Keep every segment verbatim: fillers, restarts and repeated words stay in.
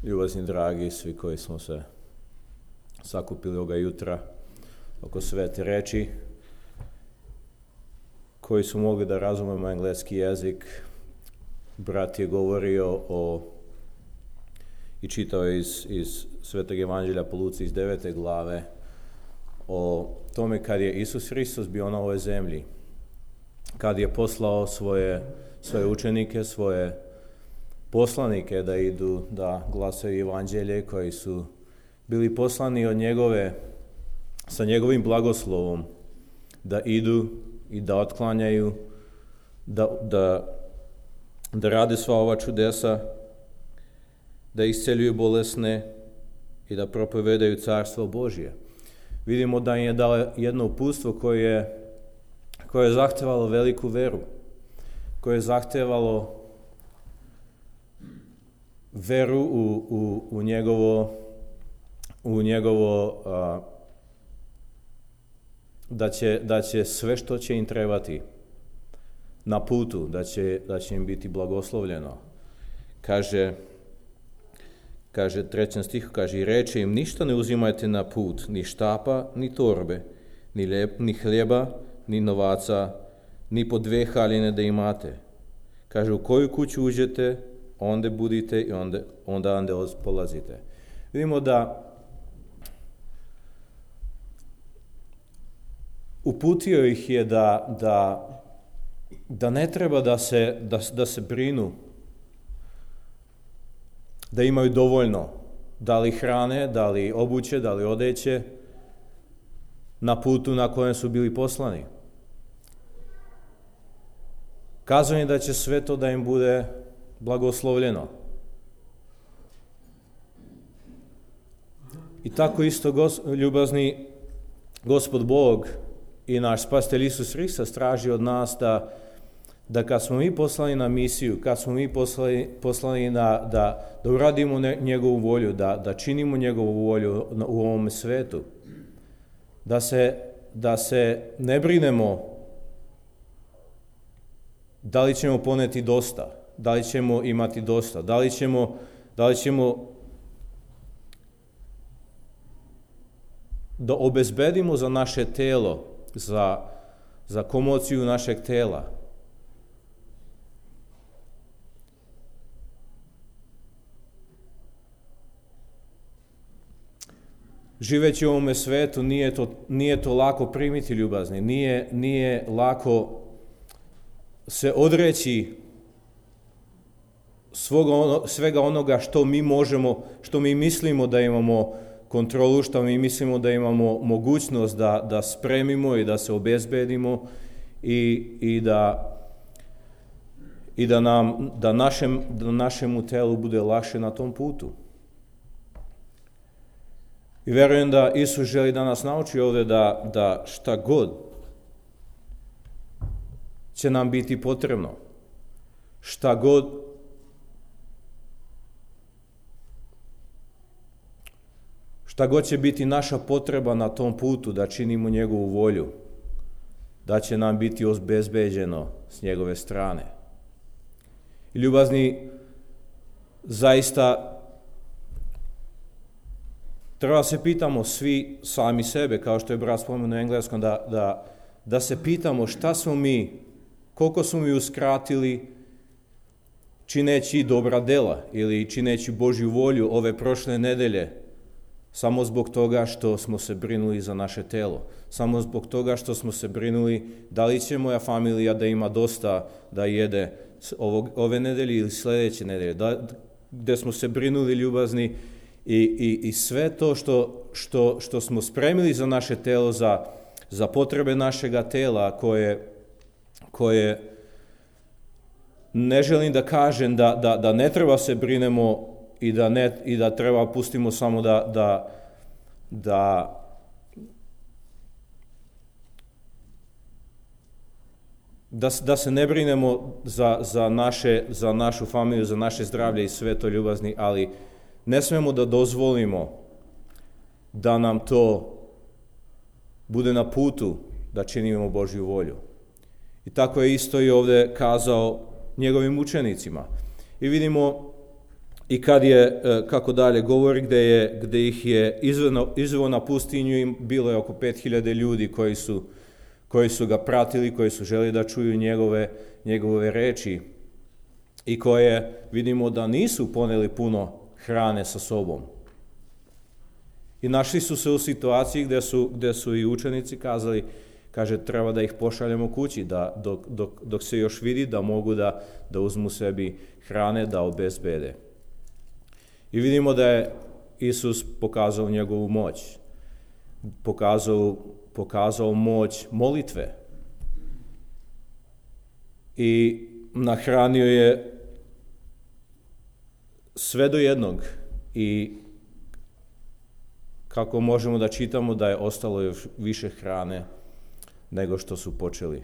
Ljubazni dragi, svi koji smo se sakupili ovoga jutra oko svete reči, koji su mogli da razumemo engleski jezik, brat je govorio o i čitao iz, iz Svetog evanđelja po Luci iz devete glave o tome kad je Isus Hristos bio na ovoj zemlji, kad je poslao svoje, svoje učenike, svoje poslanike da idu da glasaju evanđelje, koji su bili poslani od njegove, sa njegovim blagoslovom, da idu i da otklanjaju, da, da, da rade sva ova čudesa, da isceljuju bolesne i da propovedaju carstvo Božje. Vidimo da im je dao jedno uputstvo koje je, koje je zahtevalo veliku veru, koje je zahtevalo veru u, u, u njegovo, u njegovo a, da će, da će sve što će im trebati na putu, da će, da će im biti blagoslovljeno. Kaže, kaže trećem stihu, kaže, i reče im, ništa ne uzimajte na put, ni štapa, ni torbe, ni, lep, ni hljeba, ni novaca, ni po dve haljine da imate. Kaže, u koju kuću uđete, onda budite i onda, onda, onda polazite. Vidimo da uputio ih je da, da, da ne treba da se, da, da se brinu, da imaju dovoljno, da li hrane, da li obuće, da li odeće, na putu na kojem su bili poslani. Kazao im da će sve to da im bude blagoslovljeno. I tako isto, gos, ljubazni Gospod Bog i naš Spasitelj Isus Hristos traži od nas da, da kad smo mi poslani na misiju, kad smo mi poslani, poslani na, da, da uradimo ne, njegovu volju, da, da činimo njegovu volju u ovom svetu, da se, da se ne brinemo da li ćemo poneti dosta, da li ćemo imati dosta, da li ćemo, da li ćemo da obezbedimo za naše telo, za, za komociju našeg tela. Živeći u ovome svetu nije to, nije to lako primiti, ljubazni, nije, nije lako se odreći svoga, svega onoga što mi možemo, što mi mislimo da imamo kontrolu, što mi mislimo da imamo mogućnost da, da spremimo i da se obezbedimo i, i da, i da, nam, da, našem, da našemu telu bude lakše na tom putu. I verujem da Isus želi da nas nauči ovdje da, da šta god će nam biti potrebno, šta god šta god će biti naša potreba na tom putu da činimo njegovu volju, da će nam biti obezbeđeno s njegove strane. I ljubazni, zaista treba se pitamo svi sami sebe, kao što je brat spomenuo u engleskom, da, da, da se pitamo šta smo mi, koliko smo mi uskratili čineći dobra dela ili čineći Božju volju ove prošle nedelje, samo zbog toga što smo se brinuli za naše telo, samo zbog toga što smo se brinuli da li će moja familija da ima dosta da jede ovog, ove nedelje ili sljedeće nedelje, da, gdje smo se brinuli, ljubazni, i, i, i sve to što, što, što smo spremili za naše telo, za, za potrebe našega tela, koje, koje ne želim da kažem da, da, da ne treba se brinemo i da, ne, i da treba pustimo samo da, da, da, da, da se ne brinemo za, za, naše, za našu familiju, za naše zdravlje i sve to, ljubazni, ali ne smemo da dozvolimo da nam to bude na putu da činimo Božju volju. I tako je isto i ovdje kazao njegovim učenicima. I vidimo I kad je, kako dalje govori, gde, je, gde ih je izveo, izveo na pustinju, im bilo je oko pet hiljada ljudi koji su, koji su ga pratili, koji su želi da čuju njegove, njegove reči i koje vidimo da nisu poneli puno hrane sa sobom. I našli su se u situaciji gde su, gde su i učenici kazali, kaže, treba da ih pošaljemo kući, da, dok, dok, dok se još vidi da mogu da, da uzmu sebi hrane, da obezbede. I vidimo da je Isus pokazao njegovu moć, pokazao, pokazao moć molitve i nahranio je sve do jednog i kako možemo da čitamo da je ostalo još više hrane nego što su počeli.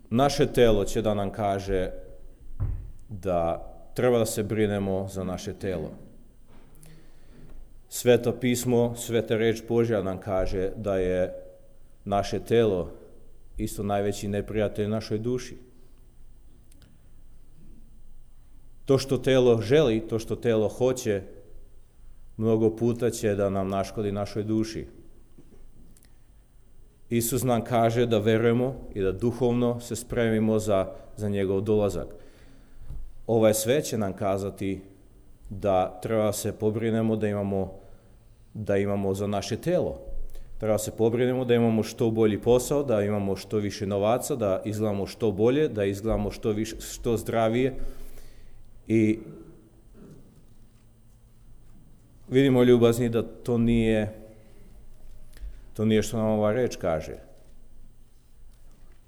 Naše telo će da nam kaže da treba da se brinemo za naše telo. Sveto pismo, sveta reč Božja nam kaže da je naše telo isto najveći neprijatelj našoj duši. To što telo želi, to što telo hoće, mnogo puta će da nam naškodi našoj duši. Isus nam kaže da verujemo i da duhovno se spremimo za, za njegov dolazak. Ovaj sve će nam kazati da treba se pobrinemo da imamo, da imamo za naše telo. Treba se pobrinemo da imamo što bolji posao, da imamo što više novaca, da izgledamo što bolje, da izgledamo što, više, što zdravije. I vidimo, ljubazni, da to nije, to nije što nam ova reč kaže.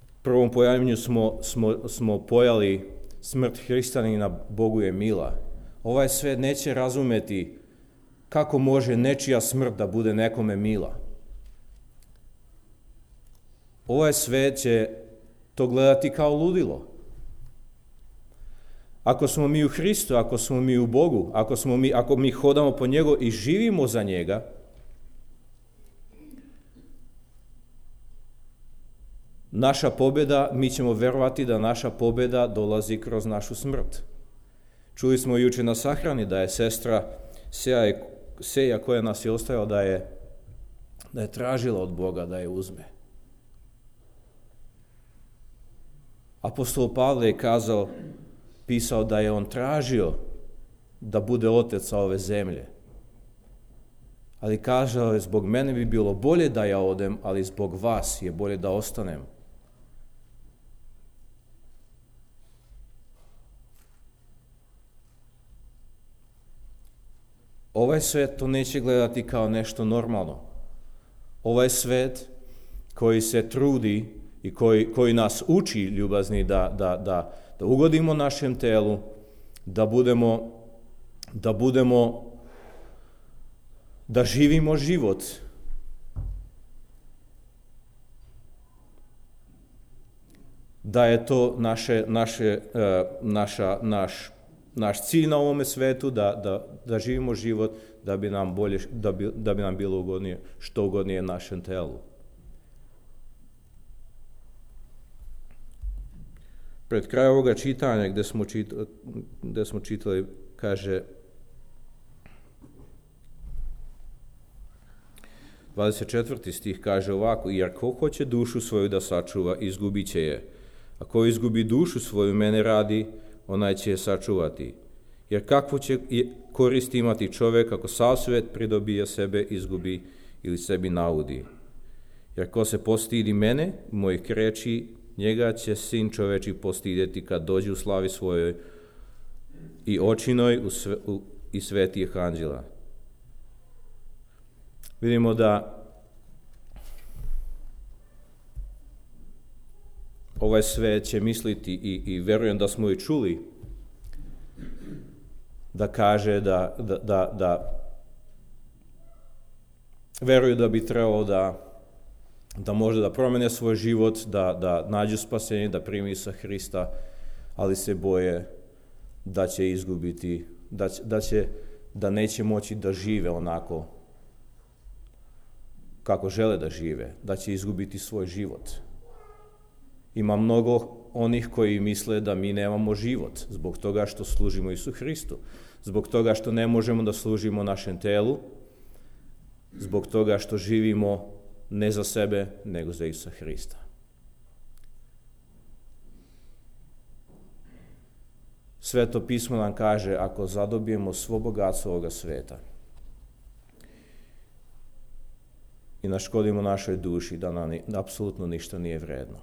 U prvom pojavljenju smo, smo, smo pojali smrt hrišćanina, Bogu je mila. Ovaj svet neće razumeti kako može nečija smrt da bude nekome mila. Ovaj svet će to gledati kao ludilo. Ako smo mi u Hristu, ako smo mi u Bogu, ako, smo mi, ako mi hodamo po njegu i živimo za njega, naša pobjeda, mi ćemo verovati da naša pobjeda dolazi kroz našu smrt. Čuli smo juče na sahrani da je sestra Seja, Seja koja nas je ostavila, da je, da je tražila od Boga da je uzme. Apostol Pavle je kazao, pisao da je on tražio da bude otec sa ove zemlje. Ali kazao je, zbog mene bi bilo bolje da ja odem, ali zbog vas je bolje da ostanem. Ovaj svet to neće gledati kao nešto normalno. Ovaj svet koji se trudi i koji, koji nas uči, ljubazni, da, da, da, da ugodimo našem telu, da budemo, da budemo, da živimo život. Da je to naše, naše, naša, naš, naš cilj na ovome svetu, da, da, da živimo život, da bi nam bolje, da bi, da bi nam bilo ugodnije, što ugodnije našem telu. Pred kraj ovoga čitanja gde smo, čitali, gde smo čitali, kaže dvadeset četvrti stih kaže ovako, jer ko hoće dušu svoju da sačuva, izgubit će je. A ko izgubi dušu svoju mene radi, onaj će je sačuvati. Jer kakvo će koristi imati čovjek ako sav svet pridobije sebe, izgubi ili sebi naudi. Jer ko se postidi mene, mojih reči, njega će sin čoveči postidjeti kad dođe u slavi svojoj i očinoj u sve, u, i svetijih anđela. Vidimo da ovaj svet će misliti i, i verujem da smo i čuli da kaže da, da, da, da veruju da bi trebalo da da može da promene svoj život, da, da nađu spasenje, da primi sa Hrista, ali se boje da će izgubiti, da, da, će, da neće moći da žive onako kako žele da žive, da će izgubiti svoj život. Ima mnogo onih koji misle da mi nemamo život zbog toga što služimo Isu Hristu, zbog toga što ne možemo da služimo našem telu, zbog toga što živimo ne za sebe, nego za Isusa Hrista. Sveto pismo nam kaže, ako zadobijemo svo bogatstvo ovoga sveta i naškodimo našoj duši, da nam apsolutno ništa nije vredno.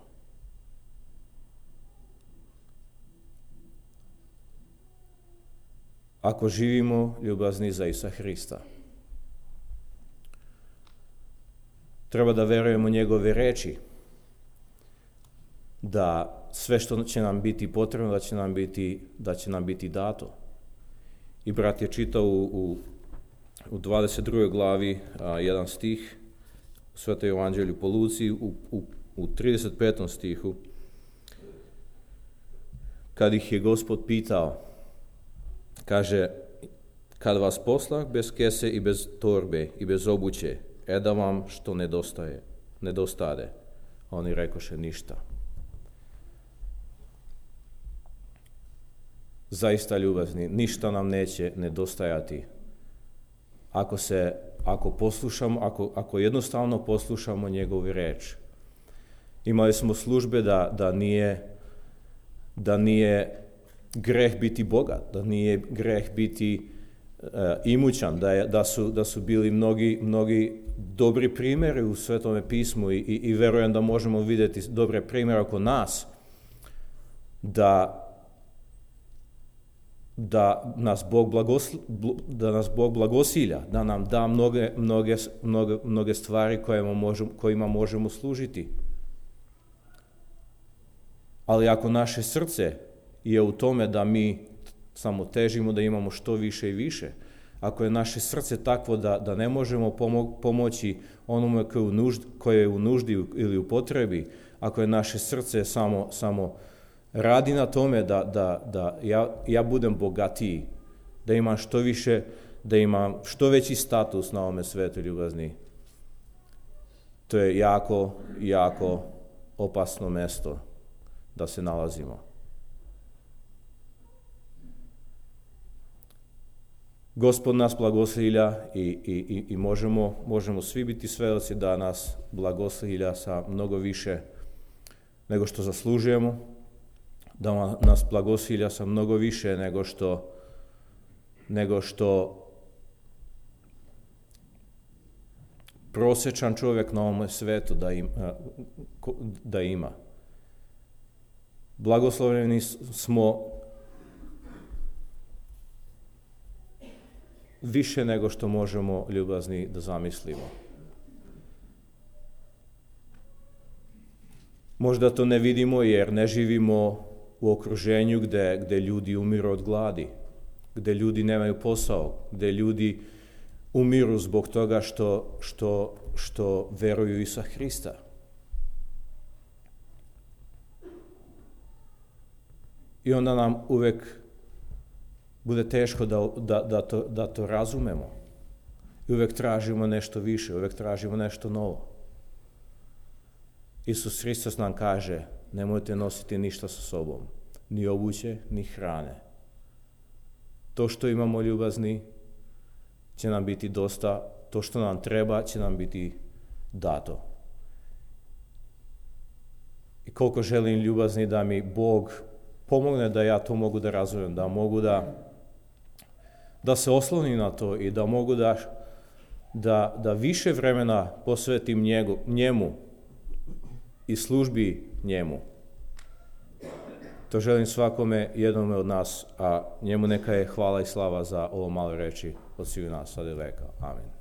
Ako živimo ljubazni za Isusa Hrista, treba da verujemo njegove reči, da sve što će nam biti potrebno, da će nam biti, da će nam biti dato. I brat je čitao u, u, u dvadeset drugoj glavi a, jedan stih u Svetoj evanđelju po Luci, u, u, u trideset petom stihu, kad ih je Gospod pitao, kaže, kad vas poslah bez kese i bez torbe i bez obuće, e da vam što nedostaje, nedostade. Oni rekoše ništa. Zaista ljubazni, ništa nam neće nedostajati ako se, ako poslušamo, ako, ako jednostavno poslušamo njegovu reč. Imali smo službe da, da nije, da nije greh biti bogat, da nije greh biti uh, imućan, da, je, da, su, da su bili mnogi, mnogi dobri primjeri u Svetome pismu i, i, i verujem da možemo vidjeti dobre primjere oko nas, da da nas Bog blagosl, da nas Bog blagosilja, da nam da mnoge, mnoge, mnoge, mnoge stvari kojima možemo, kojima možemo služiti. Ali ako naše srce je u tome da mi samo težimo da imamo što više i više, ako je naše srce takvo da, da ne možemo pomo- pomoći onome koje je, u nuždi, koje je u nuždi ili u potrebi, ako je naše srce samo, samo radi na tome da, da, da ja, ja budem bogatiji, da imam što više, da imam što veći status na ovome svetu ljubazni, to je jako, jako opasno mesto da se nalazimo. Gospod nas blagoslivlja i, i, i možemo, možemo svi biti svedoci da nas blagoslivlja sa mnogo više nego što zaslužujemo, da nas blagosilja sa mnogo više nego što, nego što prosječan čovjek na ovom svetu da ima. Da ima. Blagoslovljeni smo više nego što možemo ljubazni da zamislimo. Možda to ne vidimo jer ne živimo u okruženju gde, gde ljudi umiru od gladi, gde ljudi nemaju posao, gde ljudi umiru zbog toga što, što, što veruju Isusa Hrista. I onda nam uvek bude teško da, da, da, to, da to razumemo. I uvek tražimo nešto više, uvek tražimo nešto novo. Isus Hristos nam kaže, nemojte nositi ništa sa sobom, ni obuće, ni hrane. To što imamo ljubazni će nam biti dosta, to što nam treba će nam biti dato. I koliko želim ljubazni da mi Bog pomogne da ja to mogu da razumem, da mogu da, da se oslonim na to i da mogu da, da, da više vremena posvetim njegu, njemu i službi njemu. To želim svakome jednome od nas, a njemu neka je hvala i slava za ovo malo reči od svih nas, sad i veka. Amen.